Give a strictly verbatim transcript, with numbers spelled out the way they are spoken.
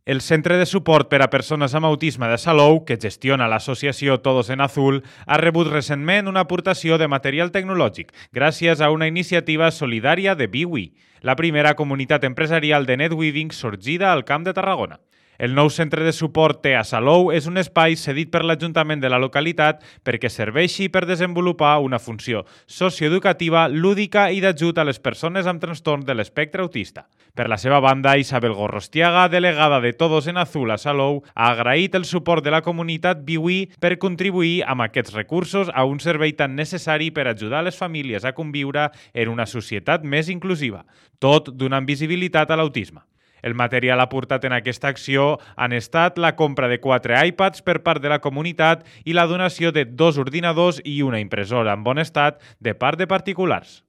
El Centre de Suport per a Persones amb Autisme de Salou, que gestiona l'associació Todos en Azul, ha rebut recentment una aportació de material tecnològic gràcies a una iniciativa solidària de Biwi, la primera comunitat empresarial de netweaving sorgida al Camp de Tarragona. El nou centre de suport T a Salou és un espai cedit per l'Ajuntament de la localitat perquè serveixi per desenvolupar una funció socioeducativa, lúdica i d'ajut a les persones amb trastorn de l'espectre autista. Per la seva banda, Isabel Gorrostiaga, delegada de Todos en Azul a Salou, ha agraït el suport de la comunitat Biwi per contribuir amb aquests recursos a un servei tan necessari per ajudar les famílies a conviure en una societat més inclusiva, tot donant visibilitat a l'autisme. El material aportat en aquesta acció han estat la compra de quatre iPads per part de la comunitat i la donació de dos ordinadors i una impressora en bon estat de part de particulars.